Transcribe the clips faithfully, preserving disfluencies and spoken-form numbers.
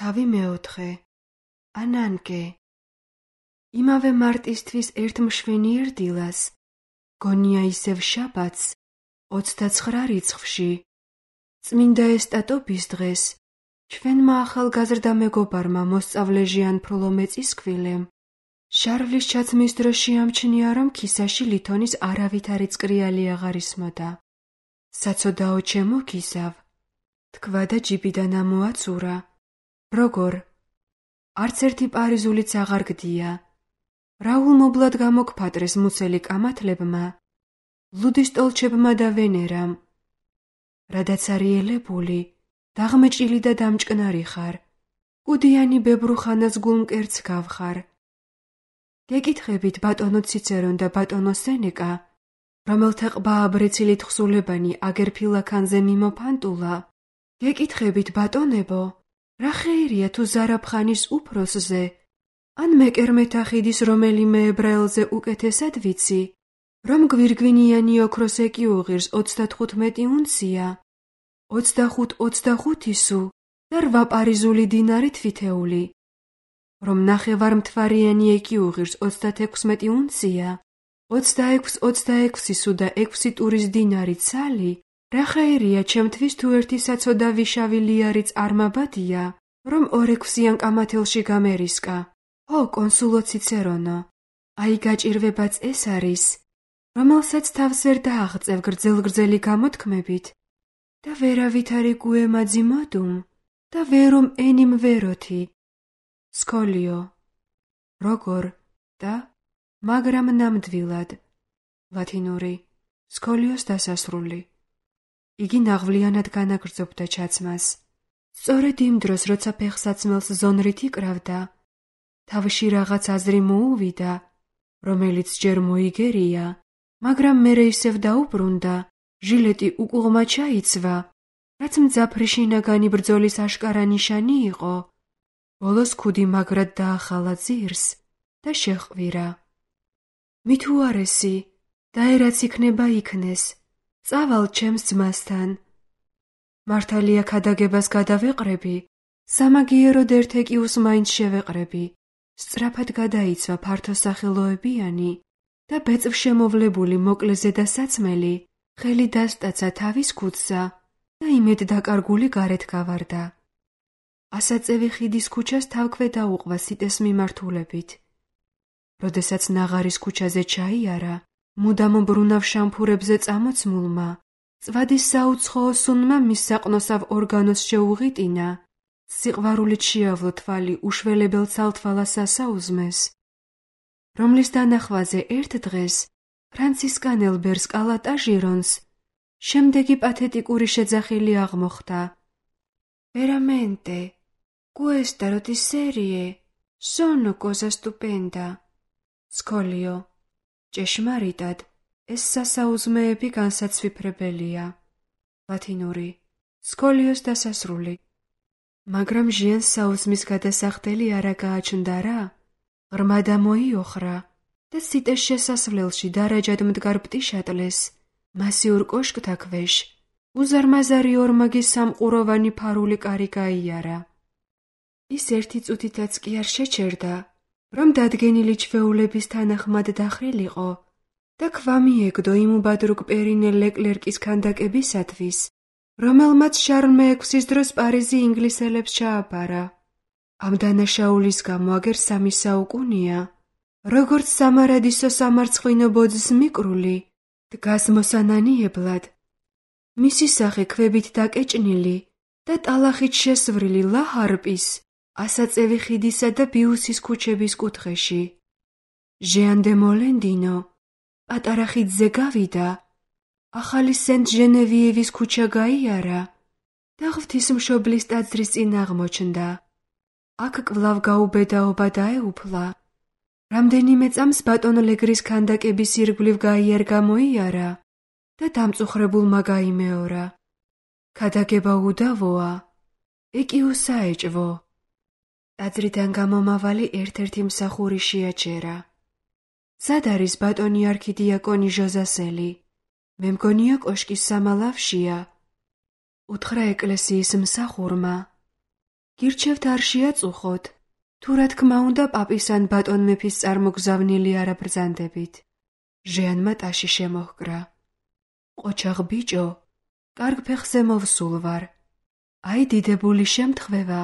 თავი მეოთხე. ანანკე. იმავე მარტისთვის ერთ მშვენიერ დილას, გონია ისევ შაბათს, ოცდაცხრა რიცხვში, წმინდა ესტატობის დღეს, ჩვენმა ახალგაზრდა მეგობარმა მოსწავლე ჟიან-ფროლო მეწისქვილემ, შარვლის ჩაცმის დროს შეამჩნია, რომ ქისაში ლითონის არავითარი წკრიალი აღარ ისმოდა. საცოდაო ჩემო ქისავ, თქვა და ჯიბიდან ამოაცურა. როგორ? არც ერთი პარიზულიც აღარ გდია. რაულ მოვლად გამოგფატრეს მუცელი კამათლებმა, ლუდის ტოლჩებმა და ვენერამ. რადაც არიელებული, დაღმეჭილი და დამჭკნარი ხარ, კუდიანი ბებრუხანას გულმკერდს გავხარ. გეკითხებით ბატონო ციცერონ და ბატონო სენეკა, რომელთა ყბაა ბრეცილით ხსულებანი აგერფილაქანზე მიმოფანტულა, გეკითხებით ბატონებო, რა ხეირია თუ ზარაფხანის უფროსზე, ან მეკერმეთახიდის რომელიმე ებრაელზე უკეთესად ვიცი, რომ გვირგვინიანი ოქროს ეკიუღირს ოცდათხუთმეტი უნცია, ოცდახუთ ოცდახუთი სუ და რვა პარიზული დინარი თვითეული, რომ ნახევარმთვარიანი ეკიუღირს ოცდათექვსმეტი უნცია, ოცდაექვსი ოცდაექვსი სუ და ექვსი ტურის დინარი ცალი, რა ხეირია ჩემთვის თუ ერთი საცოდავი შავი ლიარიც არ მაბადია, რომ ორექვსიან კამათელში გამერისკა. ო, კონსულო ციცერონო, აი გაჭირვებაც ეს არის, რომელსაც თავს ვერ დააღწევ გრძელ-გრძელი გამოთქმებით და ვერავითარი გუემაძი მოდუმ და ვერუმ ენიმ ვეროთი. სკოლიო. როგორ და მაგრამ ნამდვილად. ლათინური. სკოლიოს დასასრული. იგი ნაღვლიანად განაგრძობდა ჩაცმას. სწორედ იმ დროს, როცა ფეხსაცმელს ზონრით იკრავდა, თავში რაღაც აზრი მოუვიდა, რომელიც ჯერ მოიგერია, მაგრამ მერე ისევ დაუბრუნდა, ჟილეტი უკუღმა ჩაიცვა, რაც მძაფრი შინაგანი ბრძოლის აშკარა ნიშანი იყო. ბოლოს ქუდი მაგრად დაახალა ძირს და შეჰყვირა. მით უარესი, დაერაც იქნება იქნეს, წავალ ჩემს ძმასთან. მართალია ქადაგებას გადავეყრები, სამაგიეროდ ერთ ეკიუს მაინც შევეყრები. სწრაფად გადაიცვა ფართოსახელოებიანი და ბეწვშემოვლებული მოკლე ზედასაცმელი, ხელი დასტაცა თავის ქუდსა და იმედ დაკარგული გარეთ გავარდა. ასაწევი ხიდის ქუჩას თავქვე დაუყვა სიტეს მიმართულებით. როდესაც ნაღარის ქუჩაზე ჩაიარა, მუდამ ბრუნავ შამფურებზე წამოცმულმა, წვადის საუცხოო სუნმა მის საყნოსავ ორგანოს შეუღიტინა, სიყვარულით შეავლო თვალი უშველებელ ცალთვალას ასაუზმეს, რომლის დანახვაზე ერთ დღეს ფრანცისკანელ ბერს კალატა ჟირონს შემდეგი პათეტიკური შეძახილი აღმოხდა. Veramente, questa rotisserie sono cosa stupenda. სკოლიო. ჭეშმარიტად, ეს სასაუზმეები განსაცვიფრებელია. ლათინური. სკოლიოს დასასრული. მაგრამ ჟიანს საუზმის გადასახდელი არა გააჩნდა რა, ღრმა დამოიოხრა და სიტეს შესასვლელში დარაჯად მდგარ პტიშატლეს, მასიურ კოშკთა ქვეშ, უზარმაზარი ორმაგი სამყუროვანი ფარული კარი გაიარა. ის ერთი წუთითაც კი არ შეჩერდა, რომ დადგენილი ჩვეულების თანახმად დახრილიყო და ქვა მიეგდო იმ უბადრუგ პერინე ლეკლერკის ქანდაკებისათვის, რომელმაც შარლ მეექვსის დროს პარიზი ინგლისელებს ჩააბარა. ამ დანაშაულის გამო აგერ სამი საუკუნია, როგორც სამარადისო სამარცხვინო ბოძს მიკრული, დგას მოსანანიებლად. მისი სახე ქვებით დაკეჭნილი და ტალახით შესვრილი ლა-ჰარპის, ასაწევი ხიდისა და ბიუსის ქუჩების კუთხეში. ჟიან დე მოლენდინო პატარა ხიდზე გავიდა, ახალი სენტ-ჟენევიევის ქუჩა გაიარა და ღვთისმშობლის ტაძრის წინ აღმოჩნდა. აქ კვლავ გაუბედაობა დაეუფლა. რამდენიმე წამს ბატონ ლეგრის ქანდაკების ირგვლივ გაიარგა მოიარა და დამწუხრებულმა გაიმეორა. ქადაგება უდავოა, ეკიუსა ეჭვო. ტაძრიდან გამომავალი ერთ-ერთი მსახური შეაჩერა. სად არის ბატონი არქიდიაკონი ჟოზასელი? მე მგონია კოშკის სამალავშია. უთხრა ეკლესიის მსახურმა. გირჩევთ არ შეაწუხოთ, თუ რა თქმა უნდა პაპის ან ბატონ მეფის წარმოგზავნილი არა ბრძანდებით. ჟეანმა ტაში შემოჰკრა. ყოჩაღ ბიჭო, კარგ ფეხზე მოვსულ ვარ. აი დიდებული შემთხვევა.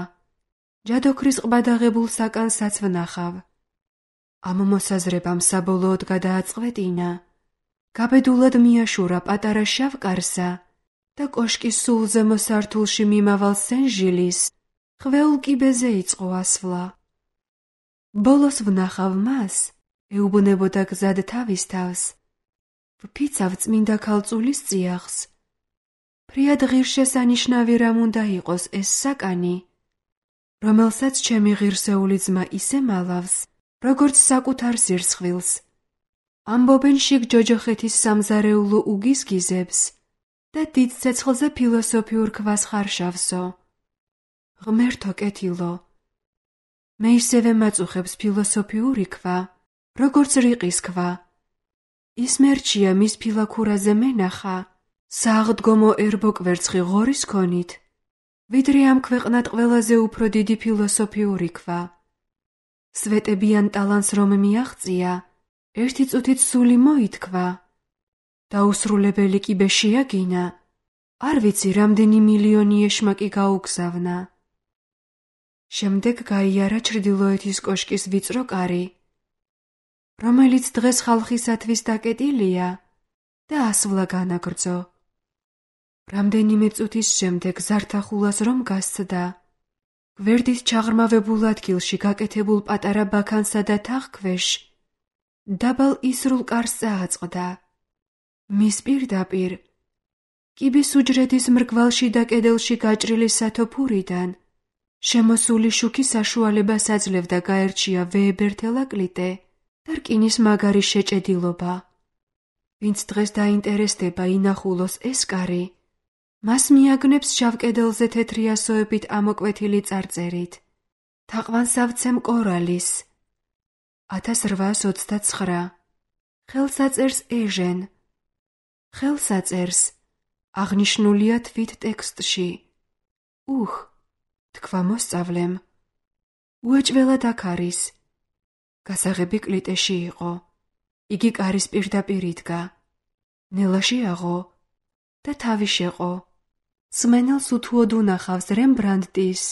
ჯადოქრის ყბა დაღებულ საკანსაც ვნახავ. ამ მოსაზრებამ საბოლოოდ გადააწყვეტინა. გაბედულად მიაშურა პატარა შავ კარსა და კოშკის სულ ზემო სართულში მიმავალ სენ-ჟილის ხვეულ კიბეზე იწყო ასვლა. ბოლოს ვნახავ მას, ეუბნებოდა გზად თავის თავს. ვფიცავ წმინდა ქალწულის წიაღს. ფრიად ღირსშესანიშნავი რამ უნდა იყოს ეს საკანი, რომელსაც ჩემი ღირსეული ძმა ისე მალავს, როგორც საკუთარ სირცხვილს. ამბობენ შიგ ჯოჯოხეთის სამზარეულო უგიზგიზებს და დიდ ცეცხლზე ფილოსოფიურ ქვას ხარშავსო. ღმერთო კეთილო, მე ისევე მაწუხებს ფილოსოფიური ქვა, როგორც რიყის ქვა. ის მერჩია მის ფილაქურაზე მენახა, სააღდგომო ერბო კვერცხი ღორის ქონით, ვიდრე ამ ქვეყნად ყველაზე უფრო დიდი ფილოსოფიური ქვა. სვეტებიან ტალანს რომ მიაღწია, ერთი წუთით სული მოითქვა. დაუსრულებელი კიბე შეაგინა, არ ვიცი რამდენი მილიონი ეშმაკი გაუგზავნა. შემდეგ გაიარა ჩრდილოეთის კოშკის ვიწრო კარი, რომელიც დღეს ხალხისათვის დაკეტილია და ასვლა განაგრძო. რამდენიმე წუთის შემდეგ ზართახულას რომ გასცდა, გვერდით ჩაღრმავებულ ადგილში გაკეთებულ პატარა ბაქანსა და თაღქვეშ დაბალ ისრულ კარს წააწყდა. მის პირდაპირ, კიბის უჯრედის მრგვალში და კედელში გაჭრილი სათოფურიდან შემოსული შუქი საშუალებას აძლევდა გაერჩია ვეებერთელაკლიტე და რკინის მაგარი შეჭედილობა. ვინც დღეს დაინტერესდება ინახულოს ეს კარი, მას მიაგნებს შავ კედელზე თეთრი ასოებით ამოკვეთილი წარწერით. თაყვანსავცემ კორალის. ათას რვაას ოცდაცხრა. ხელსაწერს ეჟენ. ხელსაწერს აღნიშნულია თვით ტექსტში. უხ, თქვა მოსწავლემ. უეჭველად აქ არის. გასაღები კლიტეში იყო. იგი კარის პირდაპირ იდგა. ნელა შეაღო და თავი შეყო. სმენელს უთუოდ უნახავს რემბრანდტის,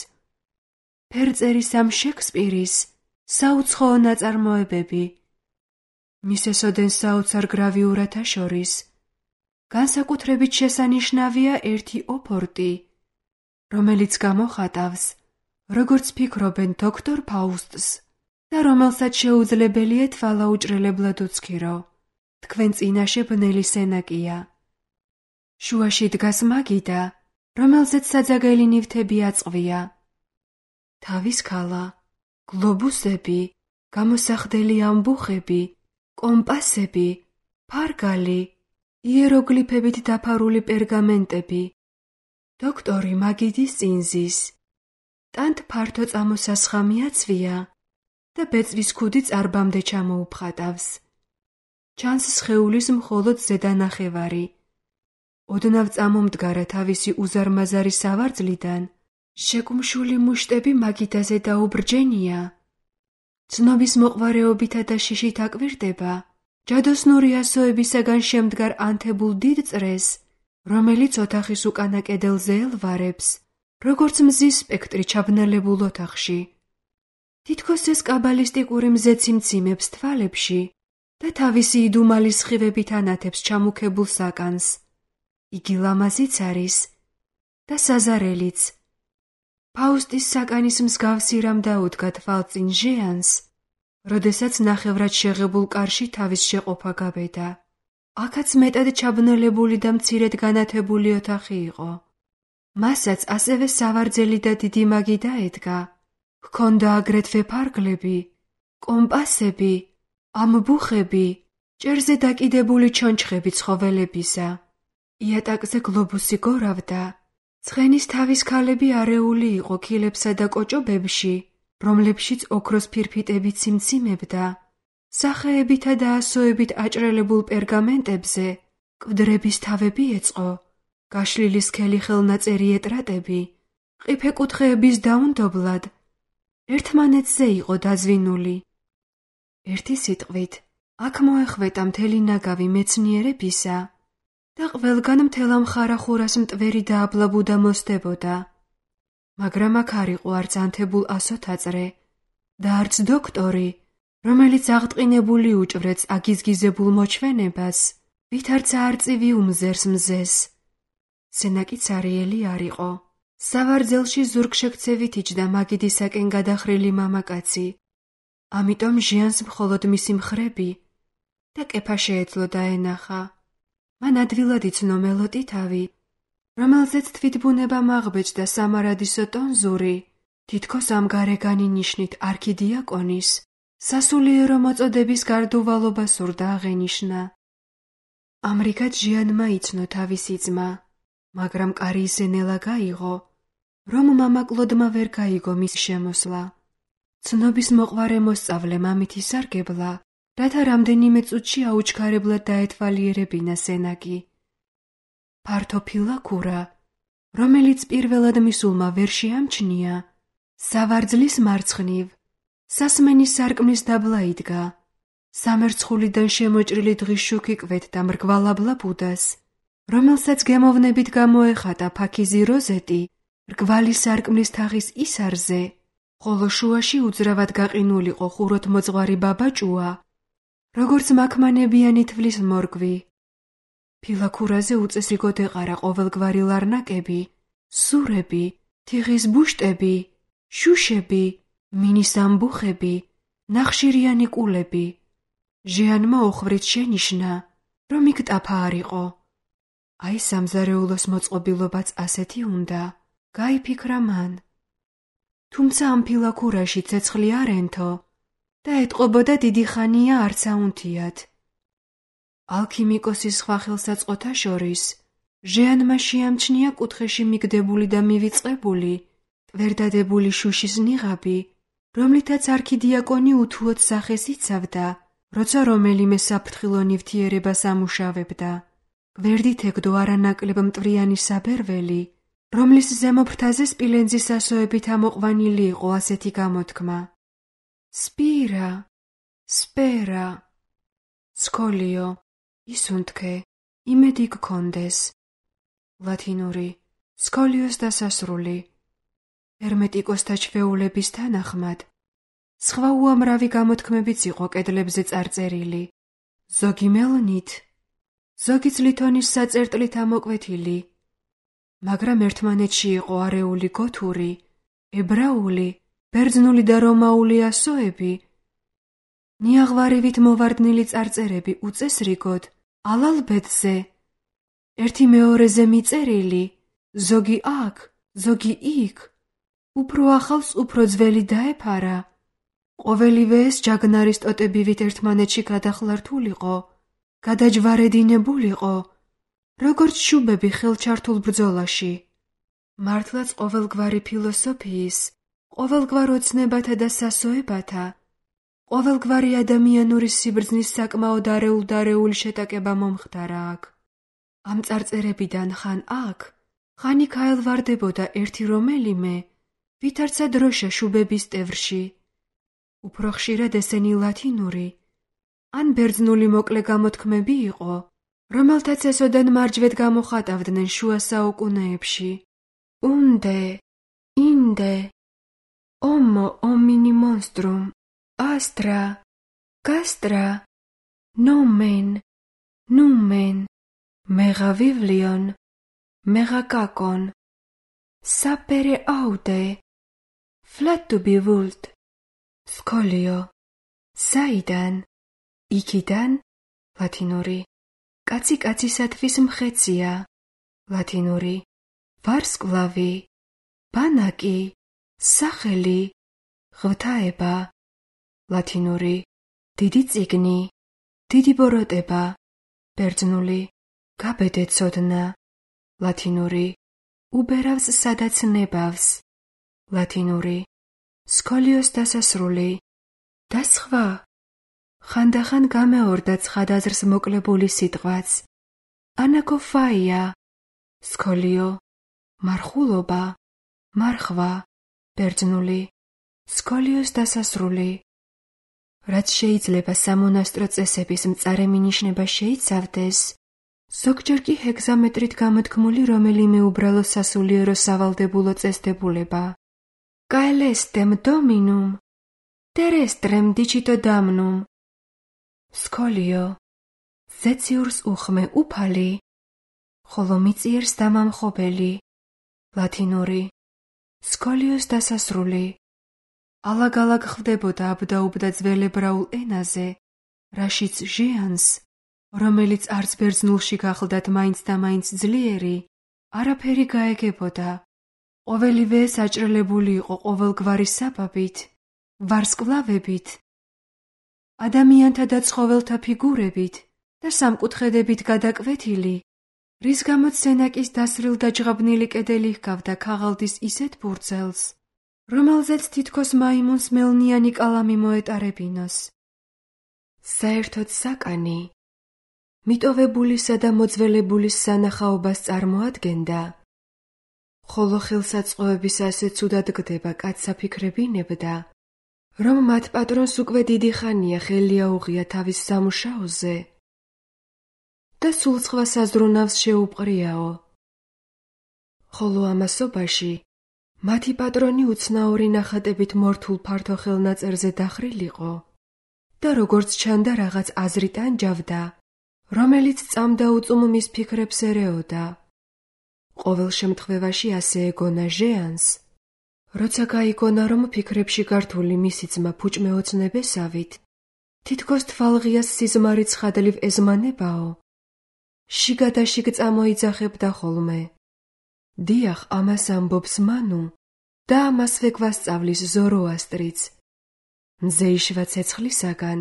ფერწერის ამ შექსპირის საუცხოო ნაწარმოებები. მის ესოდენ საოცარ გრავიურათა შორის განსაკუთრებით შესანიშნავია ერთი ოფორტი, რომელიც გამოხატავს, როგორც ფიქრობენ დოქტორ ფაუსტს და რომელსაც შეუძლებელია თვალა უჭრელებლად უცქირო. თქვენ წინაშე ბნელი სენაკია. შუაში დგას მაგიდა, რომელზეც საძაგელი ნივთები აწყვია. თავის ქალა, გლობუსები, გამოსახდელი ამბუხები, კომპასები, ფარგალი, იეროგლიფებით დაფარული პერგამენტები. დოქტორი მაგიდის წინზის. ტანთ ფართო წამოსასხამი აცვია და ბეწვის ქუდი წარბამდე ჩამოუფხატავს. ჩანს სხეულის მხოლოდ ზედა ნახევარი. ოდნავ წამომდგარა თავისი უზარმაზარი სავარძლიდან, შეკუმშული მუშტები მაგიდაზე დაუბრჯენია. ცნობის მოყვარეობითა და შიშით აკვირდება ჯადოსნური ასოებისაგან შემდგარ ანთებულ დიდ წრეს, რომელიც ოთახის უკანა კედელზე ელვარებს, როგორც მზის სპექტრი ჩაბნელებულ ოთახში. თითქოს ეს კაბალისტიკური მზეცი მციმებს თვალებში და თავისი იდუმალი სხივებით ანათებს ჩამუქებულ საკანს. იგი ლამაზიც არის და საზარელიც. ფაუსტის საკანის მსგავსი რამ დაუდგა თვალწინ ჟეანს, როდესაც ნახევრად შეღებულ კარში თავის შეყოფა გაბედა. აქაც მეტად ჩაბნელებული და მცირედ განათებული ოთახი იყო. მასაც ასევე სავარძელი და დიდი მაგი დაედგა. ჰქონდა აგრეთვე ფარგლები, კომპასები, ამბუხები, ჭერზე დაკიდებული ჩონჩხები ცხოველებისა. იატაკზე გლობუსი გორავდა. ცხენის თავის ქალები არეული იყო ქილებსა და კოჭობებში, რომლებშიც ოქროს ფირფიტები ციმციმებდა. სახეებითა და ასოებით აჭრელებულ პერგამენტებზე კვდრების თავები ეწყო, გაშლილი სქელი ხელნაწერი ეტრატები ყიფე კუთხეების დაუნდობლად ერთმანეთზე იყო დაზვინული. ერთი სიტყვით, აქ მოეხვეტა მთელი ნაგავი მეცნიერებისა და ყველგან მთელ მხარახურას მტვერი და აბლაბუდა მოსდებოდა. მაგრამ აქ არ იყო არც ანთებულ ასოთაწრე და არც დოქტორი, რომელიც აღტყინებული უჭვრեց აგიზგიზებულ მოჩვენებას, ვითარცა არწივი უმზერს მზეს. სენაკი ცარიელი არ იყო. სავარძელში ზურგშექცევით იჯდა მაგიდისაკენ გადახრილი მამაკაცი. ამიტომ ჟიანს მხოლოდ მისი მხრები და კეფა შეეძლო დაენახა. მან ადვილად იცნო მელოტი თავი, რომელზეც თვითბუნება მაღბეჭდა სამარადისო ტონზური, თითქოს ამ გარეგანი ნიშნით არქიდიაკონის, სასულიერო მოწოდების გარდუვალობა სურდა აღენიშნა. ამრიგად ჟიანმა იცნო თავისი ძმა, მაგრამ კარი ისე ნელა გაიღო, რომ მამა კლოდმა ვერ გაიგო მის შემოსვლა. ცნობის მოყვარე მოსწავლე მამით ისარგებლა, რათა რამდენიმე წუთში აუჩქარებლად დაეთვალიერებინა სენაკი. ფართო ფილაქურა, რომელიც პირველად მისულმა ვერ შეამჩნია, სავარძლის მარცხნივ, სასმენის სარკმლის დაბლა იდგა. სამერცხულიდან შემოჭრილი დღის შუქი კვეთდა მრგვალაბლა ბუდას, რომელსაც გემოვნებით გამოეხატა ფაქიზი როზეტი მრგვალი სარკმლის თაღის ისარზე, ხოლო შუაში უძრავად გაყინულიყო ხუროთ მოძღვარი ბაბაჭუა, როგორც მაქმანებიანი თვლის მორგვი. ფილაქურაზე უწესრიგოდ ეყარა ყოველგვარი ლარნაკები, სურები, თიხის ბუშტები, შუშები, მინის ამბუხები, ნახშირიანი კულები. ჟიანმა ოხრით შენიშნა, რომ იქ ტაფა არ იყო. აი სამზარეულოს მოწყობილობაც ასეთი უნდა, გაიფიქრა მან. თუმცა ამ ფილაქურაში ცეცხლი არ ენთო და ეტყობოდა დიდი ხანია არც აუნთიათ. ალქიმიკოსის სხვა ხელსაწყოთა შორის ჟიანმა შეამჩნია კუთხეში მიგდებული და მივიწყებული, ტვერდადებული შუშის ნიღაბი, რომლითაც არქიდიაკონი უთუოდ სახეს იცავდა, როცა რომელიმე საფრთხილო ნივთიერებას ამუშავებდა. გვერდით ეგდო არანაკლებ მტვრიანი საბერველი, რომლის ზემო ფრთაზე სპილენძის ასოებით ამოყვანილი იყო ასეთი გამოთქმა: სპირა, სპერა, სკოლიო, ისუნთქე, იმედი გქონდეს. ლათინური, სკოლიოს დასასრული. ჰერმეტიკოსთა ჩვეულების თანახმად, სხვა უამრავი გამოთქმებიც იყო კედლებზე წარწერილი, ზოგი მელნით, ზოგი ლითონის საწერტლით ამოკვეთილი, მაგრამ ერთმანეთში იყო არეული გოთური, ებრაული, ბერძნული და რომაული ასოები, ნიაღვარივით მოვარდნილი წარწერები უწესრიგოდ, ალალბედზე, ერთი მეორეზე მიწერილი, ზოგი აქ, ზოგი იქ, უფრო ახალს უფრო ძველი დაეფარა. ყოველივე ეს ჯაგნარის ტოტებივით ერთმანეთში გადახლართულიყო, გადაჯვარედინებულიყო, როგორც შუბები ხელჩართულ ბრძოლაში. მართლაც ყოველგვარი ფილოსოფიის, ყოველგვარ ოცნებათა და სასოებათა, ყოველგვარი ადამიანური სიბრძნის საკმაოდ არეულ-დარეული შეტაკება მომხდარა აქ. ამ წარწერებიდან ხან აქ, ხან იქ აელვარდებოდა ერთი რომელიმე, ვითარცა დროშა შუბების ტევრში. უფრო ხშირად ესენი ლათინური, ან ბერძნული მოკლე გამოთქმები იყო, რომელთაც ესოდან მარჯვედ გამოხატავდნენ შუა საუკუნეებში. უნდე, ინდე, ომო ომინი მონსტრუმ, ასტრა, გასტრა, ნომენ, ნუმენ, მეგა ვივლიონ, მეგა კაკონ, საპერე აუდე, ფლატუბი ვულტ, სკოლიო, საიდან, იქიდან, ლათინური, კაცი კაცისათვის მხეცია, ლათინური, ვარსკვლავი, ბანაკი, სახელი, ღვთაება, ლათინური, დიდი წიგნი, დიდი ბოროტება, ბერძნული, გაბედეცოდნა, ლათინური, უბერავს სადაც ნებავს, ლათინური, სკოლიოს დასასრული და სხვა. ხანდახან გამეორდა ცხადაზრს მოკლებული სიტყვაც. ანაკოფაია, სკოლიო, მარხულობა, მარხვა, ბერძნული, სკოლიოს დასასრული. რაც შეიძლება სამონასტრო წესების მწარე მინიშნება შეიცავდეს, ზოგჯერ კი ჰეგზამეტრით გამოთქმული რომელიმე უბრალო სასულიერო სავალდებულო წესდებულება. Caelestem dominum, terrestrem dicito damnum. სკოლიო, ზეციურს უხმე უფალი, ხოლო მიწიერს დამამხობელი. ლათინური, სკოლიოს დასასრული. ალაგ-ალაგ ხვდებოდა აბდაუბდა ძველებრაულ ენაზე, რაშიც ჟიანს, რომელიც არც ბერძნულში გახლდათ მაინც და მაინც ძლიერი, არაფერი გაეგებოდა. ყოველივე საჭრელებული იყო ყოველგვარი საბაბით, ვარსკვლავებით, ადამიანთა და ცხოველთა ფიგურებით და სამკუთხედებით გადაკვეთილი, რის გამოც სენაკის დასრილ და ჯღაბნილი კედელი ჰგავდა ქაღალდის ისეთ ბურცელს, რომელზეც თითქოს მაიმუნს მელნიანი კალამი მოეტარებინოს. საერთოდ საკანი, მიტოვებულისა და მოძველებულის სანახაობას წარმოადგენდა, ხოლო ხელსაწყოების ასე ცუდად გდება კაცსა ფიქრებინებდა, რომ მათ პატრონს უკვე დიდი ხანია ხელი აუღია თავის სამუშაოზე და სულ სხვა საზრუნავს შეუპყრიაო. ხოლო ამასობაში მათი პატრონი უცნაური ნახატებით მორთულ ფართო ხელნაწერზე დახრილიყო და როგორც ჩანდა რაღაც აზრით ანჯავდა, რომელიც წამდაუწუმ მის ფიქრებს ერეოდა. ყოველ შემთხვევაში ასე ეგონა ჟეანს, როცა გაიგონა, რომ ფიქრებში გართული მისი ძმა ფუჭმეოცნებესავით, თითქოს თვალღიას სიზმარით ხადლივ ეზმანებაო, შიგა და შიგ წამოიძახებდა ხოლმე. დიახ, ამას ამბობს მანუ და ამასვე გვასწავლის ზოროასტრიც. მზე იშვა ცეცხლისაგან,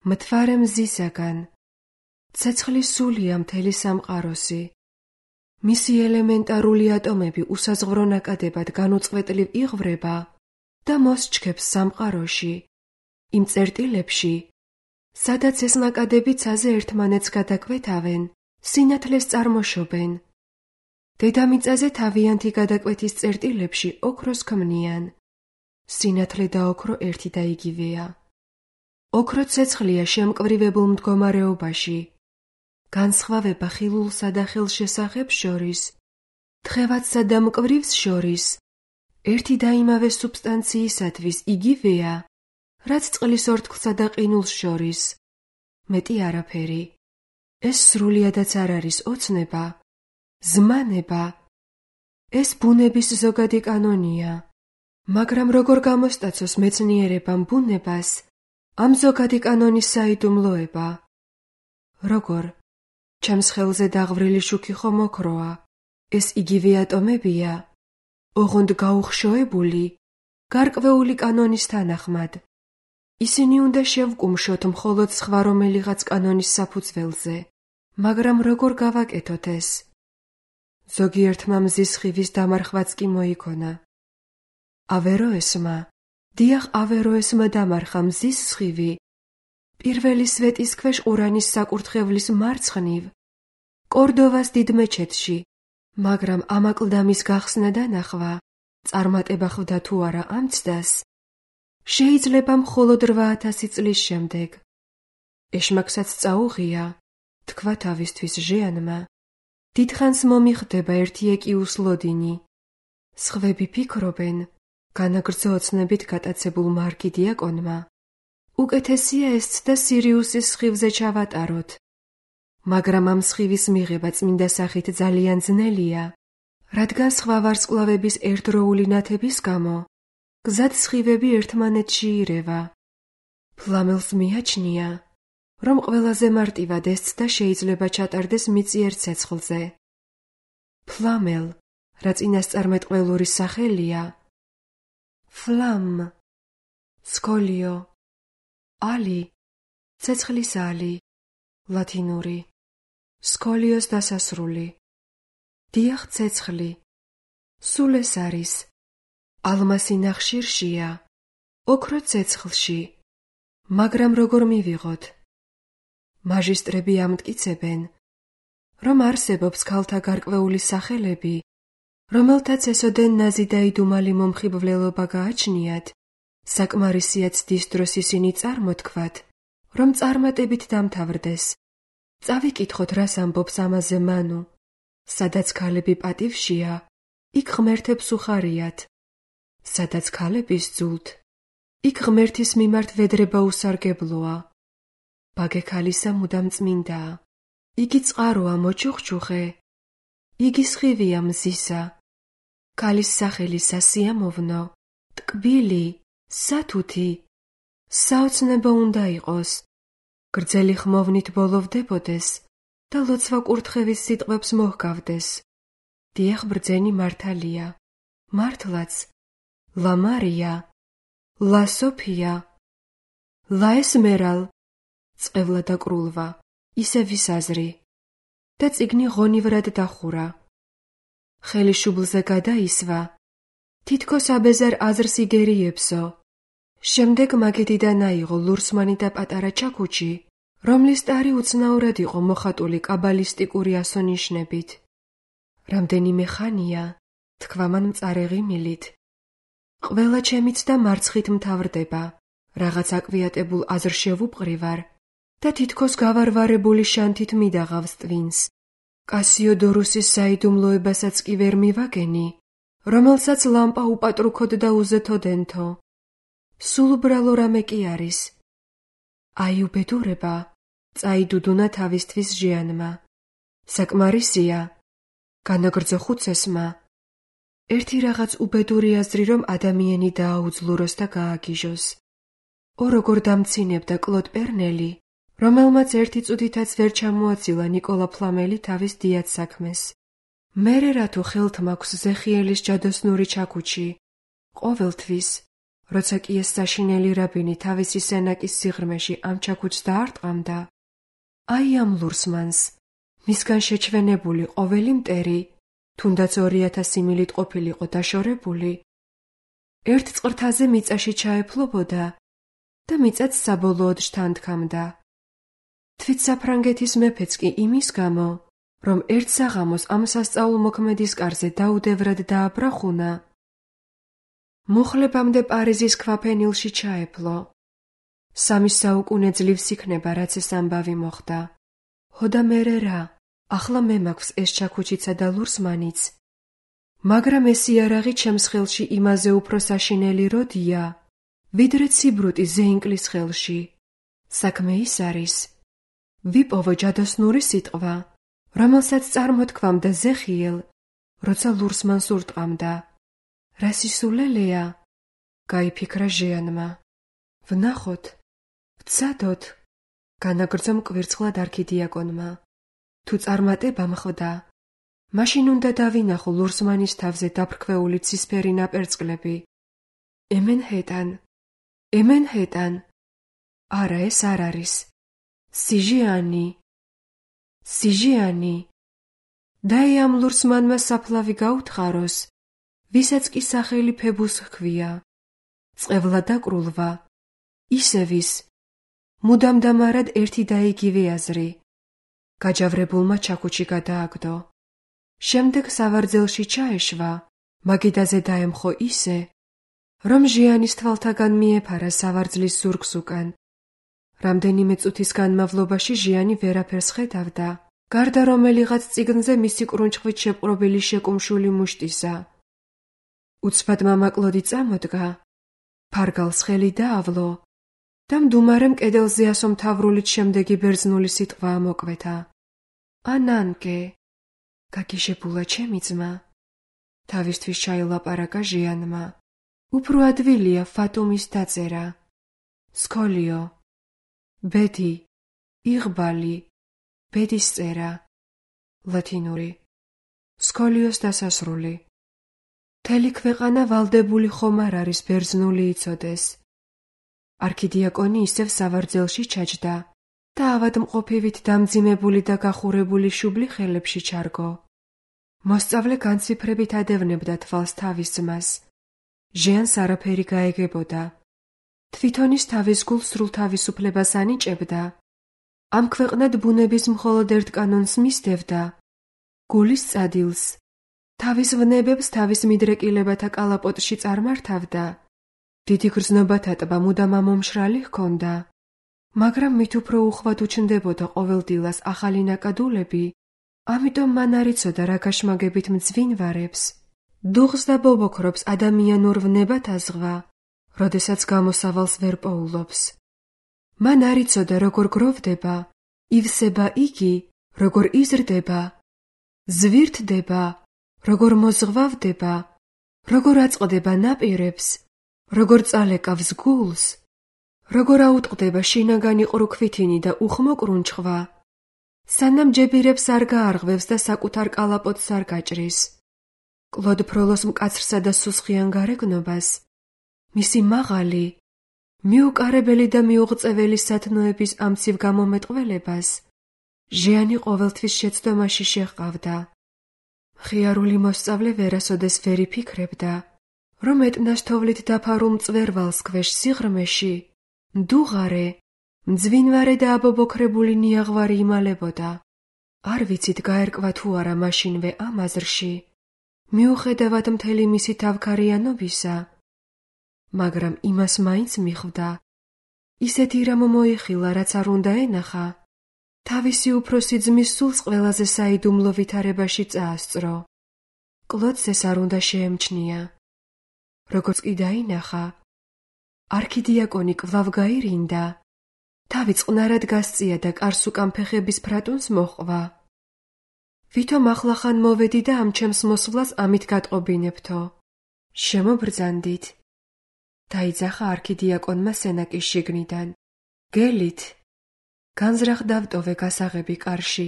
მთვარე მზისაგან, ცეცხლის სულია მთელი სამყაროსი. მისი ელემენტარული ატომები უსაზღვრო ნაკადებად განუწყვეტლივ იღვრება და მოსჩქებს სამყაროში, იმ წერტილებში, სადაც ეს ნაკადები ცაზე ერთმანეთს გადაკვეთავენ, სინათლეს წარმოშობენ. დედამიწაზე თავიანთი გადაკვეთის წერტილებში ოქროს ქმნიან. სინათლე და ოქრო ერთი და იგივეა. ოქრო ცეცხლია შემკვრივებულ მდგომარეობაში. განსხვავება ხილულსა და ხელშესახებს შორის, თხევადსა და მკვრივს შორის, ერთი და იმავე სუბსტანციისათვის იგივეა, რაც წყლის ორთქლსა და ყინულს შორის. მეტი არაფერი. ეს სრულიადაც არ არის ოცნება, ზმანება. ეს ბუნების ზოგადი კანონია, მაგრამ როგორ გამოსტაცოს მეცნიერებამ ბუნებას ამ ზოგადი კანონის საიდუმლოება? როგორ? ჩემს ხელზე დაღვრილი შუქი ხომ ოქროა, ეს იგივე ატომებია, ოღონდ გაუხშოებული, გარკვეული კანონის თანახმად. ისინი უნდა შევკუმშოთ მხოლოდ სხვა რომელიღაც კანონის საფუძველზე, მაგრამ როგორ გავაკეთოთ ეს? ზოგიერთმა მზის სხივის დამარხვაც კი მოიქონა. ავეროესმა, დიახ ავეროესმა დამარხა მზის სხივი, პირველი სვეტის ქვეშ ყურანის საკურთხევლის მარცხნივ, კორდოვას დიდ მეჩეთში, მაგრამ ამ აკლდამის გახსნა და ნახვა, წარმატება ხვდა თუ არა ამ ცდას, შეიძლება მხოლოდ რვა ათასი წლის შემდეგ. ეშმაკსაც წაუღია, თქვა თავისთვის ჟეანმა. დიდხანს მომიხდება ერთი ეკიუს ლოდინი. სხვები ფიქრობენ, განაგრძო ოცნებით გატაცებულ მარკი დიაკონმა, უკეთესია ეს ცდა სირიუსის სხივზე ჩავატაროთ. მაგრამ ამ სხივის მიღება წმინდა სახით ძალიან ძნელია, რადგან სხვა ვარსკვლავების ერთდროული ნათების გამო გზად სხივები ერთმანეთში ირევა. ფლამელს მიაჩნია, რომ ყველაზე მარტივად ეს ცდა შეიძლება ჩატარდეს მიწიერ ცეცხლზე. ფლამელ, რა წინასწარმეტყველური სახელია, ფლამ, სკოლიო, ალი, ცეცხლის ალი, ლათინური, სკოლიოს დასასრული. დიახ, ცეცხლი, სულ ეს არის. ალმასი ნახშირშია, ოქრო ცეცხლში, მაგრამ როგორ მივიღოთ? მაჟისტრები ამტკიცებენ, რომ არსებობს ქალთა გარკვეული სახელები, რომელთაც ესოდენ ნაზი და იდუმალი მომხიბვლელობა გააჩნიათ, საკმარისიათ ცდის დროს ისინი წარმოთქვათ, რომ წარმატებით დამთავრდეს. წავიკითხოთ, რას ამბობს ამაზე მანუ. სადაც ქალები პატივშია, იქ ღმერთებს უხარიათ. სადაც ქალები სძულთ, იქ ღმერთის მიმართ ვედრება უსარგებლოა. ბაგე ქალისა მუდამ წმინდაა. იგი წყაროა მოჩუხჩუხე. იგი სხივია მზისა. ქალის სახელი სასიამოვნო, ტკბილი, სათუთი, საოცნებო უნდა იყოს. გრძელი ხმოვნით ბოლოვდებოდეს და ლოცვა კურთხევის სიტყვებს მოჰგავდეს. დიახ, ბრძენი მართალია, მართლაც, ლა მარია, ლა სოფია, ლა ესმერალ, წყევლა და კრულვა, ისე ვისაზრი და წიგნი ღონივრად დახურა. ხელი შუბლზე გადაისვა, თითქოს აბეზარ აზრს იგერიებსო. შემდეგ მაგედიდან აიღო ლურსმანი და პატარა ჩაქუჩი, რომლის ტარი უცნაურად იყო მოხატული კაბალისტიკური ასონიშნებით. რამდენიმე ხანია, თქვა მან მწარე ღიმილით. ყველა ჩემიც და მარცხით მთავრდება, რაღაც აკვიატებულ აზრ შევუპყრივარ და თითქოს გავარვარებული შანთით მიდაღავს ტვინს. კასიოდორუსის საიდუმლოებასაც კი ვერ მივაგენი, რომელსაც ლამპა უპატრუქოდ და უზეთოდენთო. სულ უბრალო რამე კი არის. აი უბედურება, წაიდუდუნა თავისთვის ჟიანმა. საკმარისია, განაგრძო ხუცესმა. ერთი რაღაც უბედური აზრი, რომ ადამიანი დააუძლუროს და გააგიჟოს. ო როგორ დამცინებდა კლოდ პერნელი, რომელმაც ერთი წუთითაც ვერ ჩამოაცილა ნიკოლა ფლამელი თავის დიად საქმეს. მერე რათო ხელთ მაქვს ზეხიელის ჯადოსნური ჩაქუჩი, ყოველთვის, როცა კი ეს საშინელი რაბინი თავისი სენაკის სიღრმეში ამ ჩაქუჩს დაარტყამდა, აი ამ ლურსმანს, მისგან შეჩვენებული ყოველი მტერი, თუნდაც ორი ათასი მილით ყოფილიყო დაშორებული, ერთ წყრთაზე მიწაში ჩაეფლობოდა და მიწაც საბოლოოდ შთანთქამდა. თვით საფრანგეთის მეფეც კი იმის გამო, რომ ერთ საღამოს ამ სასწაულ მოქმედის კარზე დაუდევრად დააბრახუნა, მუხლებამდე პარიზის ქვაფენილში ჩაეფლო. სამი საუკუნე ძლივს იქნება, რაც ეს ამბავი მოხდა. ჰო და მერე რა, ახლა მე მაქვს ეს ჩაქუჩიცა და ლურსმანიც, მაგრამ ეს იარაღი ჩემს ხელში იმაზე უფრო საშინელი როდია, ვიდრე ციბრუტი ზეინკლის ხელში. საქმე ის არის, ვიპოვო ჯადოსნური სიტყვა, რომელსაც წარმოთქვამდა ზეხიელ, როცა ლურსმანს ურტყამდა. რა სისულელეა, გაიფიქრა ჟიანმა. ვნახოთ, ვცადოთ, განაგრძო მკვირცხლად არქიდიაკონმა. თუ წარმატება მხვდა, მაშინ უნდა დავინახო ლურსმანის თავზე დაფრქვეული ცისფერი ნაპერწკლები. ემენჰეტან, ემენჰეტან. არა, ეს არ არის. სიჟიანი, სიჟიანი. დაი ამ ლურსმანმა საფლავი გაუთხაროს, ვისაც კი სახელი ფებუს ჰქვია. წყევლა და კრულვა, ისევის, მუდამ დამარად ერთი და იგივე აზრი. გაჯავრებულმა ჩაქუჩი გადააგდო. შემდეგ სავარძელში ჩაეშვა, მაგიდაზე დაემხო ისე, რომ ჟიანის თვალთაგან მიეფარა სავარძლის ზურგს უკან. რამდენიმე წუთის განმავლობაში ჟიანი ვერაფერს ხედავდა, გარდა რომელიღაც წიგნზე მისი კრუნჩხვით შეპყრობილი შეკუმშული მუშტისა. უცბად მამა კლოდი წამოდგა, ფარგალს ხელი დაავლო და მდუმარემ კედელზე ასომთავრულით შემდეგი ბერძნული სიტყვა ამოკვეთა. ანანკე, გაგიჟებულა ჩემი ძმა. თავისთვის ჩაილაპარაკა ჟიანმა. უფრო ადვილია ფატუმის დაწერა. სკოლიო, ბედი, იღბალი, ბედის წერა. ლათინური. სკოლიოს დასასრული. მთელი ქვეყანა ვალდებული ხომ არ არის ბერძნული იცოდეს. არქიდიაკონი ისევ სავარძელში ჩაჯდა და ავადმყოფივით დამძიმებული და გახურებული შუბლი ხელებში ჩარგო. მოსწავლე განციფრებით ადევნებდა თვალს თავის ძმას. ჟიანს არაფერი გაეგებოდა. თვითონის თავის გულს სრულ თავისუფლებას ანიჭებდა. ამ ქვეყნად ბუნების მხოლოდ ერთ კანონს მისდევდა, გულის წადილს თავის ვნებებს თავის მიდრეკილებათა კალაპოტში წარმართავდა. დიდი გრძნობათა ტბა მუდამ ამომშრალი ჰქონდა, მაგრამ მით უფრო უხვად უჩნდებოდა ყოველდილას ახალი ნაკადულები, ამიტომ მან არ იცოდა რა გაშმაგებით მძვინვარებს, დუღს და ბობოქრობს ადამიანურ ვნებათა ზღვა, როდესაც გამოსავალს ვერ პოულობს. მან არ იცოდა როგორ გროვდება, ივსება იგი, როგორ იზრდება, ზვირთდება, როგორ მოზღვავდება, როგორ აწყდება ნაპირებს, როგორ წალეკავს გულს, როგორ აუტყდება შინაგანი ყრუქვითინი და უხმო კრუნჩხვა, სანამ ჯებირებს არ გაარღვევს და საკუთარ კალაპოტს არ გაჭრის. კლოდ ფროლოს მკაცრსა და სუსხიან გარეგნობას, მისი მაღალი, მიუკარებელი და მიუღწეველი სათნოების ამცივ გამომეტყველებას, ჟიანი ყოველთვის შეცდომაში შეჰყავდა. მხიარული მოსწავლე ვერასოდეს ვერ იფიქრებდა, რომ ეტნას თოვლით დაფარულ მწვერვალს ქვეშ სიღრმეში, მდუღარე, მძვინვარე და აბობოქრებული ნიაღვარი იმალებოდა. არ ვიცით გაერკვა თუ არა მაშინვე ამ აზრში, მიუხედავად მთელი მისი თავქარიანობისა, მაგრამ იმას მაინც მიხვდა. ისეთი რამ მოიხილა, რაც არ უნდა ენახა, თავისი უფროსი ძმის სულს ყველაზე საიდუმლო ვითარებაში წაასწრო. კლოდს ეს არ უნდა შეემჩნია. როგორც კი დაინახა, არქიდიაკონი კვლავ გაირინდა, თავი წყნარად გასწია და კარს უკან ფეხების ფრატუნს მოჰყვა. ვითომ ახლახან მოვედი და ამ ჩემს მოსვლას ამით გატყობინებთო. შემობრძანდით. დაიძახა არქიდიაკონმა სენაკის შიგნიდან. გელით. განზრახ დავტოვე გასაღები კარში.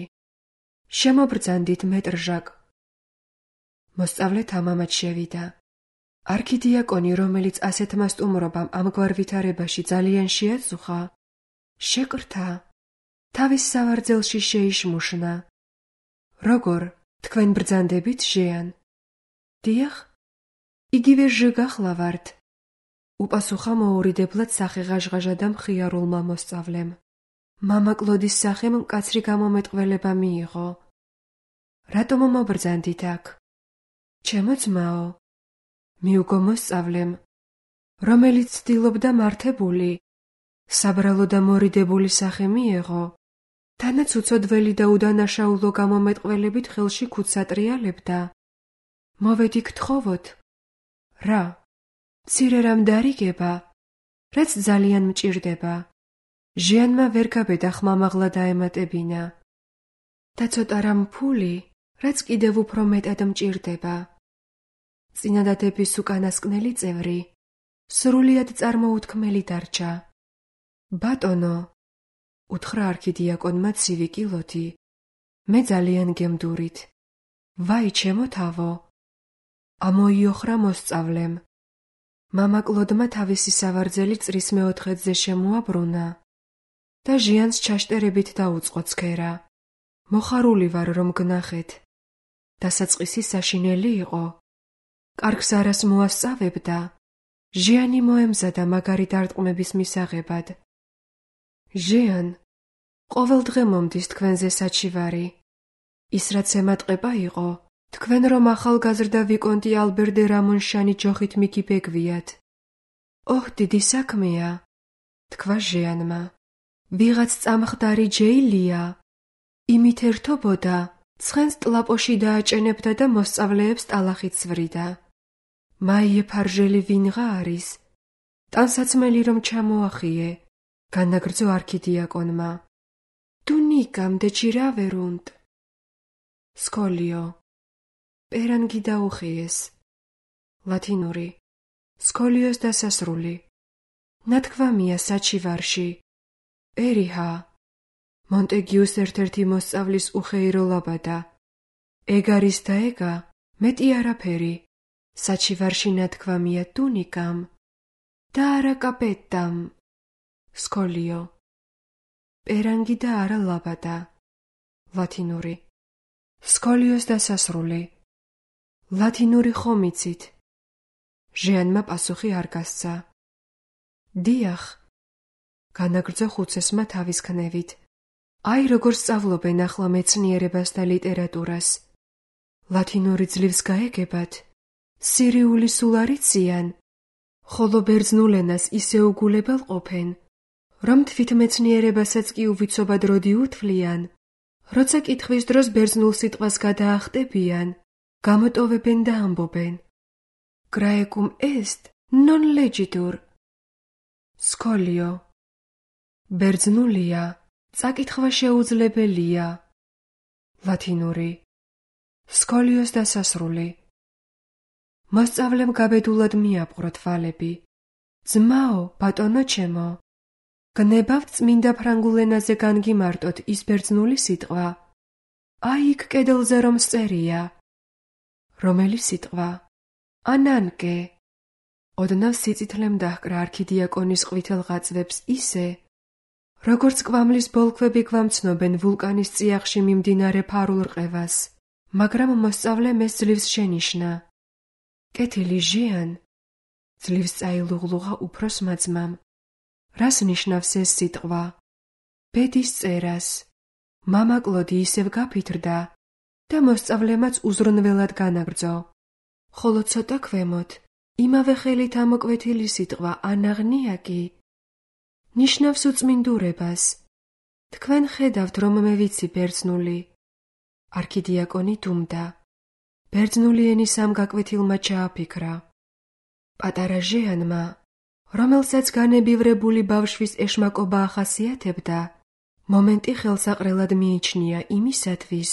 შემობრძანდით მეტრჟაკ. მოსწავლე თამამად შევიდა. არქიდიაკონი, რომელიც ასეთმა სტუმრობამ ამგვარ ვითარებაში ძალიან შეაწუხა, შეკრთა, თავის სავარძელში შეიშმუშნა. როგორ, თქვენ ბრძანდებით ჟეან? დიახ, იგივე ჟ გახლავართ, უპასუხა მოურიდებლად სახეღაჟღაჟა და მხიარულმა მოსწავლემ. მამა კლოდის სახემ მკაცრი გამომეტყველება მიიღო. რატომ მობრძანდით აქ? ჩემო ძმაო, მიუგო მოსწავლემ, რომელიც ცდილობდა მართებული, საბრალო და მორიდებული სახე მიეღო, თანაც უცოდველი და უდანაშაულო გამომეტყველებით ხელში ქუდს ატრიალებდა. მოვედი გთხოვოთ. რა? მცირე რამ დარიგება, რაც ძალიან მჭირდება. ჟიანმა ვერ გაბედა ხმამაღლა დაემატებინა. და ცოტა რამ ფული, რაც კიდევ უფრო მეტად მჭირდება. წინადადების უკანასკნელი წევრი, სრულიად წარმოუთქმელი დარჩა. ბატონო, უთხრა არქიდიაკონმა ცივი კილოთი, მე ძალიან გემდურით. ვაი, ჩემო თავო! ამოიოხრა მოსწავლემ. მამა კლოდმა თავისი სავარძელი წრის მეოთხედზე შემოაბრუნა და ჟიანს ჩაშტერებით დაუწყო ცქერა. მოხარული ვარ, რომ გნახეთ. დასაწყისი საშინელი იყო. კარგს არას მოასწავებდა. ჟიანი მოემზადა მაგარი დარტყმების მისაღებად. ჟიან, ყოველ დღე მომდის თქვენზე საჩივარი. ის რაც ემატყება იყო, თქვენ რომ ახალგაზრდა ვიკონტი ალბერ დე რამონშანი ჯოხით მიგიბეგვიათ. ოჰ, დიდი საქმეა, თქვა ჟიანმა. ვიღაც წამხდარი ჯეილია. იმით ერთობოდა, ცხენს ტლაპოში დააჭენებდა და მოსწავლეებს ტალახით სვრიდა. მაიე ფარჟელი ვინღა არის? ტანსაცმელი რომ ჩამოახიე, განაგრძო არქიდიაკონმა. დუნიკამ დეჩირავერუნტ. სკოლიო. პერანგი დაუხიეს. ლათინური. სკოლიოს დასასრული. ნათქვამია საჩივარში. პერიჰა. მონტეგიუს ერთ-ერთი მოსწავლის უხეირო ლაბადა. ეგ არის და ეგა, მეტი არაფერი. საჩივარში ნათქვამია დუნიკამ და არა კაპეტამ. სკოლიო. პერანგი და არა ლაბადა. ლათინური. სკოლიოს დასასრული. ლათინური ხომ იცით? ჟიანმა პასუხი არ გასცა. დიახ, განაგრძო ხუცესმა თავის ქნევით. აი როგორ სწავლობენ ახლა მეცნიერებას და ლიტერატურას. ლათინური ძლივს გაეგებათ, სირიული სულ არ იციან, ხოლო ბერძნულ ენას ისე უგულებელ ყოფენ, რომ თვითმეცნიერებასაც კი უვიცობად როდი უთვლიან, როცა კითხვის დროს ბერძნულ სიტყვას გადაახტებიან, გამოტოვებენ და ამბობენ. Graecum est non legitur. სკოლიო. ბერძნულია, წაკითხვა შეუძლებელია. ლათინური. სკოლიოს დასასრული. მოსწავლემ გაბედულად მიაპყრო თვალები. ძმაო, ბატონო ჩემო, გნებავთ წმინდა ფრანგულ ენაზე განგიმარტოთ ის ბერძნული სიტყვა. აი იქ კედელზე რომ წერია. რომელი სიტყვა? ანანკე. ოდნავ სიწითლემ დაჰკრა არქიდიაკონის ყვითელ ღაწვებს ისე, როგორც კვამლის ბოლქვები გვამცნობენ ვულკანის წიაღში მიმდინარე ფარულ რყევას, მაგრამ მოსწავლემ ეს ძლივს შენიშნა. კეთილი ჟიან, ძლივს წაილუღლუღა უფროსმა ძმამ. რას ნიშნავს ეს სიტყვა? ბედის წერას. მამა კლოდი ისევ გაფითრდა და მოსწავლემაც უზრუნველად განაგრძო. ხოლო ცოტა ქვემოთ, იმავე ხელით ამოკვეთილი სიტყვა ანაღნიაკი ნიშნავს უწმინდურებას. თქვენ ხედავთ, რომ მე ვიცი ბერძნული. არქიდიაკონი დუმდა. ბერძნული ენის ამ გაკვეთილმა ჩააფიქრა. პატარა ჟიანმა, რომელსაც განებივრებული ბავშვის ეშმაკობა ახასიათებდა, მომენტი ხელსაყრელად მიიჩნია იმისათვის,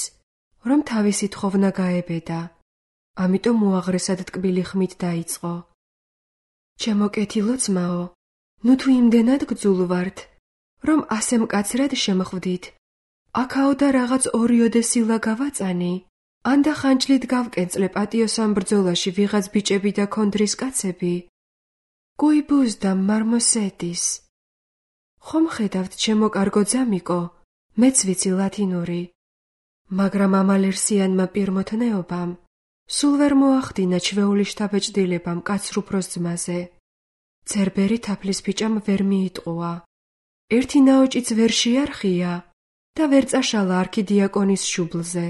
რომ თავისი თხოვნა გაებედა. ამიტომ უაღრესად ტკბილი ხმით დაიწყო. ჩემო კეთილო ძმაო, ნუ თუ იმდენად გძულვართ, რომ ასე მკაცრად შემხვდით, აქაო და რაღაც ორიოდე სილა გავაწანი, ან და ხანჯლით გავკენწლე პატიოს ამ ბრძოლაში ვიღაც ბიჭები და ქონდრის კაცები. გუიბუს და მარმოსეტის. ხომ ხედავთ, ჩემო კარგო ძამიკო, მეც ვიცი ლათინური, მაგრამ ამ ალერსიანმა პირმოთნეობამ სულ ვერ მოახდინა ჩვეული შთაბეჭდილება მკაცრ უფროს ძმაზე. ცერბერი თაფლის ბიჭამ ვერ მიიტყუა. ერთი ნაოჭიც ვერ შეარხია და ვერ წაშალა არქიდიაკონის შუბლზე.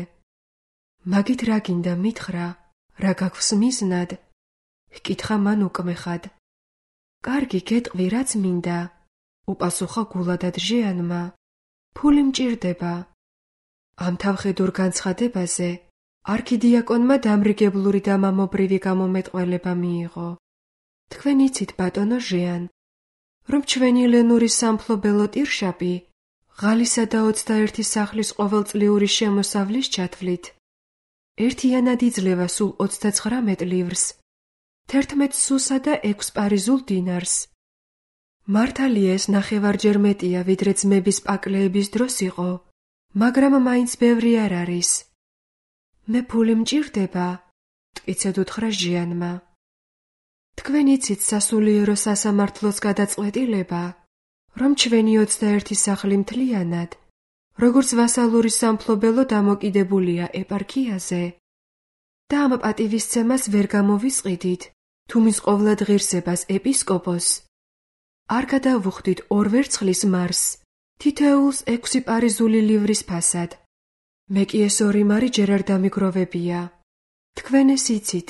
მაგით რა გინდა მითხრა, რა გაქვს მიზნად? ჰკითხა მან უკმეხად. კარგი, გეტყვი, რაც მინდა, უპასუხა გულადად ჟიანმა. ფული მჭირდება. ამ თავხედურ განცხადებაზე არქიდიაკონმა დამრიგებლური და მამობრივი გამომეტყველება მიიღო. თქვენ იცით, ბატონო ჟიან, რომ ჩვენი ლენური სამფლობელო ტირშაპი ღალისა და ოცდაერთი სახლის ყოველწლიური შემოსავლის ჩათვლით ერთიანად იძლევა სულ ოცდაცხრამეტ ლივრს, თერთმეტ სუსა და ექვს პარიზულ დინარს. მართალია ეს ნახევარჯერ მეტია, ვიდრე ძმების პაკლეების დროს იყო, მაგრამ მაინც ბევრი არ არის. მე ფული მჭირდება, მტკიცედ უთხრა ჟიანმა. თქვენ იცით სასულიერო სასამართლოს გადაწყვეტილება, რომ ჩვენი ოცდაერთი სახლი მთლიანად, როგორც ვასალური სამფლობელო დამოკიდებულია ეპარქიაზე და ამ პატივისცემას ვერ გამოვისყიდით, თუ მის ყოვლად ღირსებას ეპისკოპოსს არ გადავუხდით ორ ვერცხლის მარს, თითოეულს ექვსი პარიზული ლივრის ფასად. მე კი ეს ორი მარი ჯერ არ დამიგროვებია. თქვენ ეს იცით.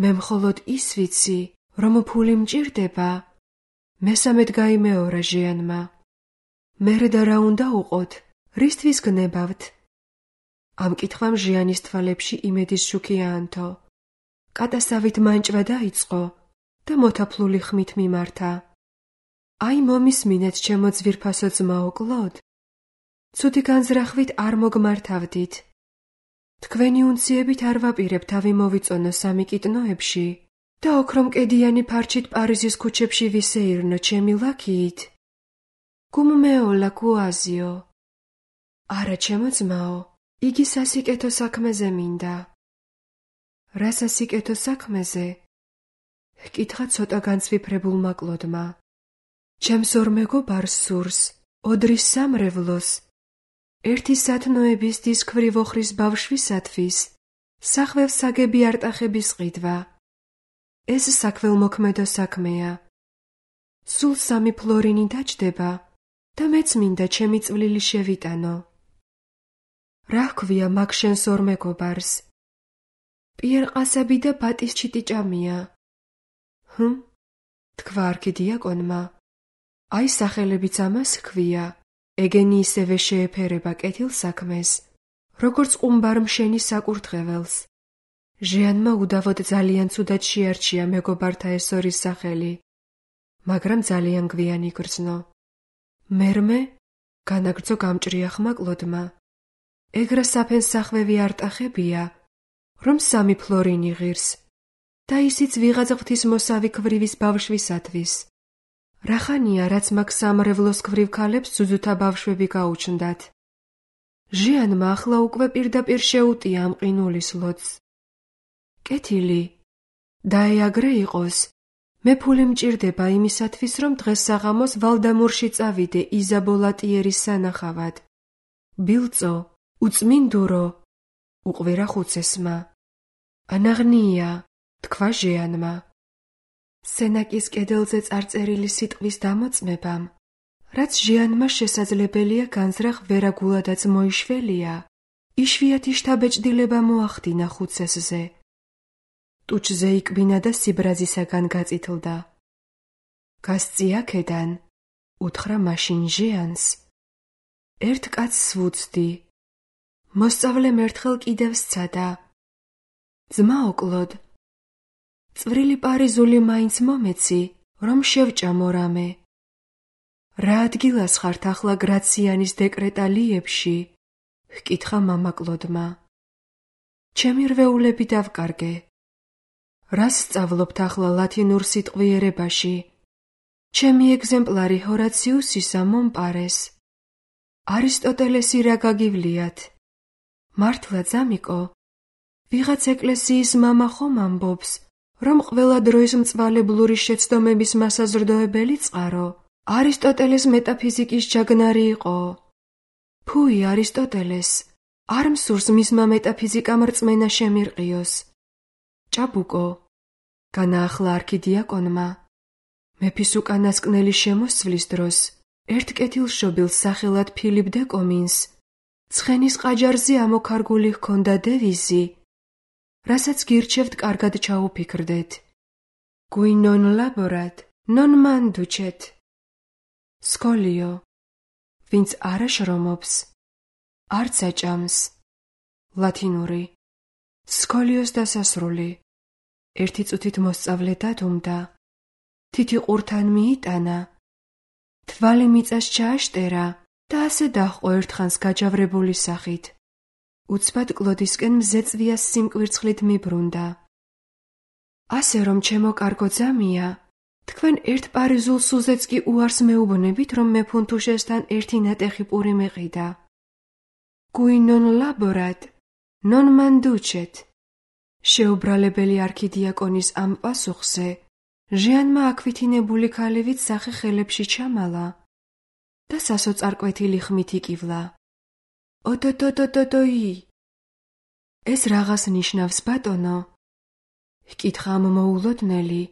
მე მხოლოდ ის ვიცი, რომ ფული მჭირდება. მესამედ გაიმეორა ჟიანმა. მერე და რა უნდა უყოთ, რისთვის გნებავთ? ამ კითხვამ ჟიანის თვალებში იმედის შუქი აანთო. კატასავით მანჭვა დაიწყო და მოთაფლული ხმით მიმართა. აი მომისმინეთ, ჩემო ძვირფასო ძმაო კლოდ. ცუდი განზრახვით არ მოგმართავდით. თქვენი უნციებით არ ვაპირებ თავი მოვიწონო სამი კიტნოებში და ოქრომკედიანი ფარჩით პარიზის ქუჩებში ვისეირნო ჩემი ლაქიით. გუმ მეოლა კუაზიო. არა, ჩემო ძმაო, იგი სასიკეთო საქმეზე მინდა. რა სასიკეთო საქმეზე? ჰკითხა ცოტა განცვიფრებულმა კლოდმა. ჩემს ორ მეგობარს სურს, ოდრის სამრევლოს, ერთი სათნოების დის ქვრივოხრის ბავშვისათვის, სახვევ საგები არტახების ყიდვა. ეს საქველმოქმედო საქმეა. სულ სამი ფლორინი დაჯდება და მეც მინდა ჩემი წვლილი შევიტანო. რა ჰქვია მაგ შენს ორ მეგობარს? პიერყასები და ბატის ჩიტიჭამია. ჰმ? თქვა არქიდიაკონმა. აი სახელებიც ამას ჰქვია. ეგენი ისევე შეეფერება კეთილ საქმეს, როგორც ყუმბარ მშენი საკურთხეველს. ჟიანმა უდავოდ ძალიან ცუდად შეარჩია მეგობართა ეს ორის სახელი, მაგრამ ძალიან გვიან იგრძნო. მერმე განაგრძო გამჭრია ხმა კლოდმა. ეგრა საფენს სახვევი არტახებია, რომ სამი ფლორინი ღირს და ისიც ვიღაც ღვთისმოსავი ქვრივის ბავშვისათვის. რახანია, რაც მაგ სამრევლოს ქვრივ ქალებს ძუძუთა ბავშვები გაუჩნდათ. ჟიანმა ახლა უკვე პირდაპირ შეუტია ამ ყინულის ლოდს. კეთილი, დაეაგრე იყოს, მე ფული მჭირდება იმისათვის, რომ დღეს საღამოს ვალდამურში წავიდე იზაბოლა ტიერის სანახავად. ბილწო, უწმინდურო, უყვირა ხუცესმა. ანაღნია, თქვა ჟიანმა. სენაკის კედელზე წარწერილი სიტყვის დამოწმებამ, რაც ჟიანმა შესაძლებელია განზრახ ვერაგულადაც მოიშველია, იშვიათი შთაბეჭდილება მოახდინა ხუცესზე. ტუჩზე იკბინა და სიბრაზისაგან გაწითლდა. გასწი აქედან, უთხრა მაშინ ჟიანს. ერთ კაცს ვუცდი. მოსწავლემ ერთხელ კიდევ სცადა. ძმაო კლოდ, წვრილი პარიზული მაინც მომეცი, რომ შევჭამო რამე. რა ადგილას ხართ ახლა გრაციანის დეკრეტალიებში? ჰკითხა მამა კლოდმა. ჩემი რვეულები დავკარგე. რას სწავლობთ ახლა ლათინურ სიტყვიერებაში? ჩემი ეგზემპლარი ჰორაციუსისა მომპარეს. არისტოტელესი რა გაგივლიათ? მართლა ძამიკო, ვიღაც ეკლესიის მამა ხომ ამბობს, რომ ყველა დროის მწვალებლური შეცდომების მასაზრდოებელი წყარო არისტოტელეს მეტაფიზიკის ჯაგნარი იყო. ფუი არისტოტელეს, არ მსურს მისმა მეტაფიზიკამ რწმენა შემირყიოს. ჭაბუკო, განაახლა არქიდიაკონმა, მეფის უკანასკნელი შემოსვლის დროს ერთ კეთილშობილს სახელად ფილიპ დე კომინს ცხენის ყაჯარზე ამოქარგული ჰქონდა დევიზი, რასაც გირჩევთ კარგად ჩაუფიქრდეთ. Qui non laborat, non manducet. სკოლიო, ვინც არ აშრომობს, არც აჭამს. ლათინური. სკოლიოს დასასრული. ერთი წუთით მოსწავლე დადუმდა. თითი ყურთან მიიტანა. თვალი მიწას ჩააშტერა და ასე დაჰყო ერთხანს გაჯავრებული სახით. უცბად კლოდისკენ მზეწვიას სიმკვირცხლით მიბრუნდა. ასე რომ ჩემო კარგო ძამია, თქვენ ერთ პარიზულ სულზეც კი უარს მეუბნებით, რომ მე ფუნთუშესთან ერთი ნატეხი პური მეყიდა. Qui non laborat, non manducet. შეუბრალებელი არქიდიაკონის ამ პასუხზე ჟიანმა აქვითინებული ქალივით სახე ხელებში ჩამალა და სასოწარკვეთილი ხმით იკივლა. ოტოტოტოტოი. ეს რაღაც ნიშნავს, ბატონო? ჰკითხა ამ მოულოდნელი,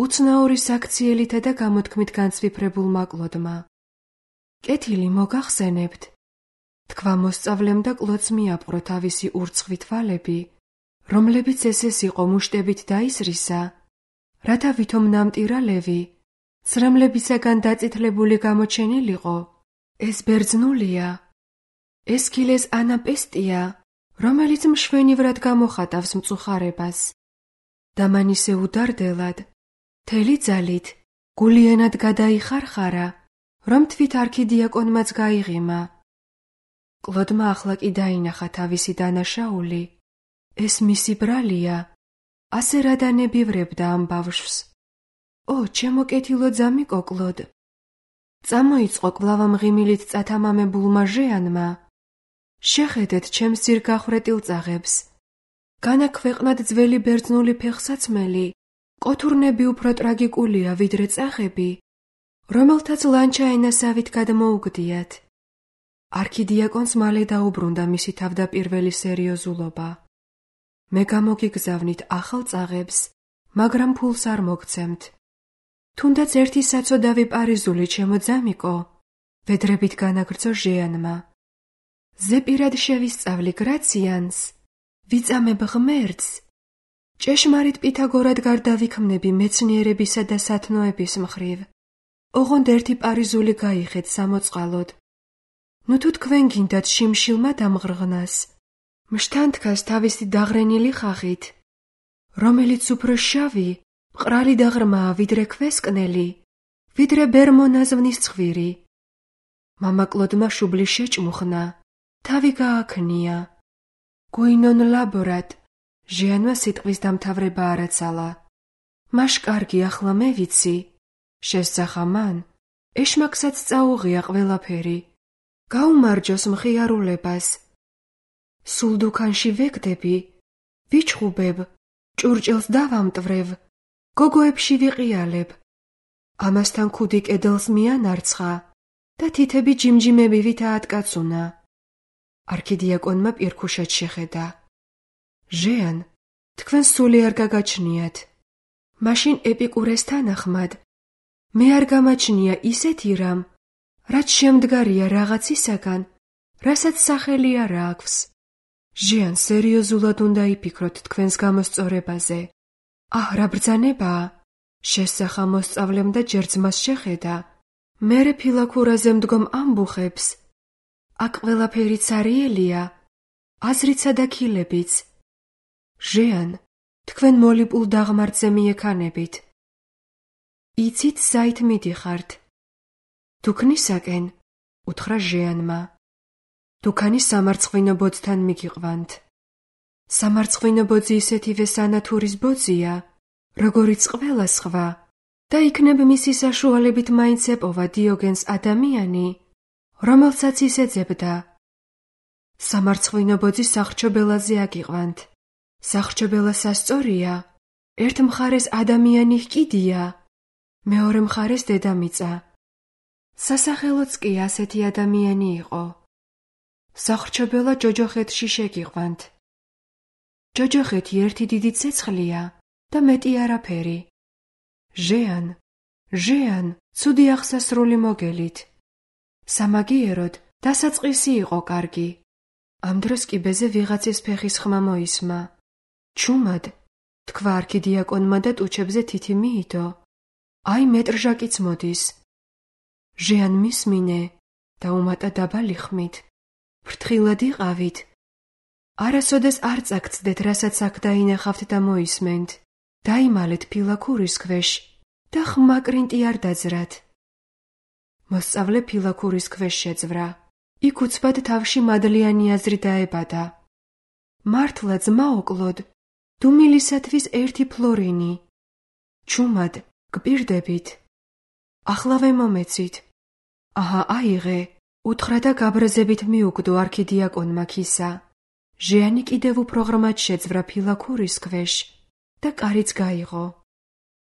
უცნაური საქციელითა და გამოთქმით განცვიფრებულმა კლოდმა. კეთილი მოგახსენებთ, თქვა მოსწავლემ და კლოდს მიაპყრო თავისი ურცხვი თვალები, რომლებიც ესეს იყო მუშტებით დაისრისა, რათა ვითომ ნამტირალევი, ცრემლებისაგან დაწითლებული გამოჩენილიყო. ეს ბერძნულია. ესქილეს ანაპესტია, რომელიც მშვენივრად გამოხატავს მწუხარებას. და მან ისე უდარდელად, მთელი ძალით, გულიანად გადაიხარხარა, რომ თვით არქიდიაკონმაც გაიღიმა. კლოდმა ახლა კი დაინახა თავისი დანაშაული. ეს მისი ბრალია, ასე რა დანებივრებდა ამ ბავშვს. ო, ჩემო კეთილო ძამიკო კლოდ. წამოიწყო კვლავ ამ ღიმილით წათამამებულმა ჟიანმა. შეხედეთ ჩემს ძირგახვრეტილ წაღებს. განაქვეყნად ძველი ბერძნული ფეხსაცმელი, კოთურნები უფრო ტრაგიკულია ვიდრე წაღები, რომელთაც ლანჩა ენასავით გადმოუგდიათ. არქიდიაკონს მალე დაუბრუნდა მისი თავდაპირველი სერიოზულობა. მე გამოგიგზავნით ახალ წაღებს, მაგრამ ფულს არ მოგცემთ. თუნდაც ერთი საცოდავი პარიზული ჩემო ძამიკო, ვედრებით განაგრძო ჟიანმა. ზეპირად შევისწავლი გრაციანს, ვიწამებ ღმერთს ჭეშმარიტ პითაგორად გარდავიქმნები მეცნიერებისა და სათნოების მხრივ. ოღონდ ერთი პარიზული გაიხეთ სამოწყალოდ. ნუ თუ თქვენ გინდათ შიმშილმა დამღრღნას, მშთანთქას თავისი დაღრენილი ხახით, რომელიც უფრო შავი, მყრალი და ღრმაა ვიდრე ქვესკნელი, ვიდრე ბერმონაზვნის ცხვირი. მამაკლოდმა შუბლი შეჭმუხნა, თავი გააქნია. გვინონ ლაბორად, ჟიანმა სიტყვის დამთავრება არაცალა. მაშ კარგი, ახლა მე ვიცი. შესძახა მან, ეშმაკსაც წაუღია ყველაფერი. გაუმარჯოს მხიარულებას. სულ დუქანში ვეგდები, ვიჩხუბებ, ჭურჭელს დავამტვრევ, გოგოებში ვიყიალებ. ამასთან ქუდი კედელს მიანარცხა და თითები ჯიმჯიმებივით აატკაცუნა. არქიდიაკონმა პირქუშად შეხედა. ჟეან, თქვენ სული არ გაგაჩნიათ. მაშინ ეპიკურეს თანახმად, მე არ გამაჩნია ისეთი რამ, რაც შემდგარია რაღაცისაგან, რასაც სახელი არ აქვს. ჟეან, სერიოზულად უნდა იფიქროთ თქვენს გამოსწორებაზე. აჰ, რა ბრძანებაა? შესძახა მოსწავლემ და ჯერ ძმას შეხედა. მერე ფილაქურაზე მდგომ ამბუხებს. აქ ყველაფერი ცარიელია, აზრიცა და ქილებიც. ჟეან, თქვენ მოლიპულ დაღმართზე მიექანებით. იცით საით მიდიხართ? დუქნისაკენ, უთხრა ჟეანმა. დუქანი სამარცხვინო ბოძთან მიგიყვანთ. სამარცხვინო ბოძი ისეთივე სანათურის ბოძია, როგორიც ყველა სხვა, და იქნებ მისი საშუალებით მაინც ეპოვა დიოგენს ადამიანი, რომელსაც ის ეძებდა. სამარცხვინო ბოძი სახრჩობელაზე აგიყვანთ. სახრჩობელა სასწორია, ერთ მხარეს ადამიანი ჰკიდია, მეორე მხარეს დედამიწა. სასახელოც კი ასეთი ადამიანი იყო. სახრჩობელა ჯოჯოხეთში შეგიყვანთ. ჯოჯოხეთი ერთი დიდი ცეცხლია და მეტი არაფერი. ჟეან, ჟეან, ცუდი აღსასრული მოგელით. სამაგიეროდ დასაწყისი იყო კარგი. ამ დროს კიბეზე ვიღაცის ფეხის ხმა მოისმა. ჩუმად, თქვა არქიდიაკონმა და ტუჩებზე თითი მიიდო. აი მეტრჟაკიც მოდის. ჟეან მისმინე, დაუმატა დაბალი ხმით. ფრთხილად იყავით. არასოდეს არ წაგწდეთ, რასაც აქ დაინახავთ და მოისმენთ. დაიმალეთ ფილაქურის ქვეშ და ხმაკრინტი არ დაძრათ. მოსწავლე ფილაქურის ქვეშ შეძვრა. იქ უცბად თავში მადლიანი აზრი დაებადა. მართლა ძმაოკლოდ, დუმილისათვის ერთი ფლორინი. ჩუმად, გპირდებით. ახლავე მომეცით. აჰა, აიღე, უთხრა და გაბრაზებით მიუგდო არქიდიაკონმა ქისა. ჟეანი კიდევ უფრო ღრმად შეძვრა ფილაქურის ქვეშ და კარიც გაიღო.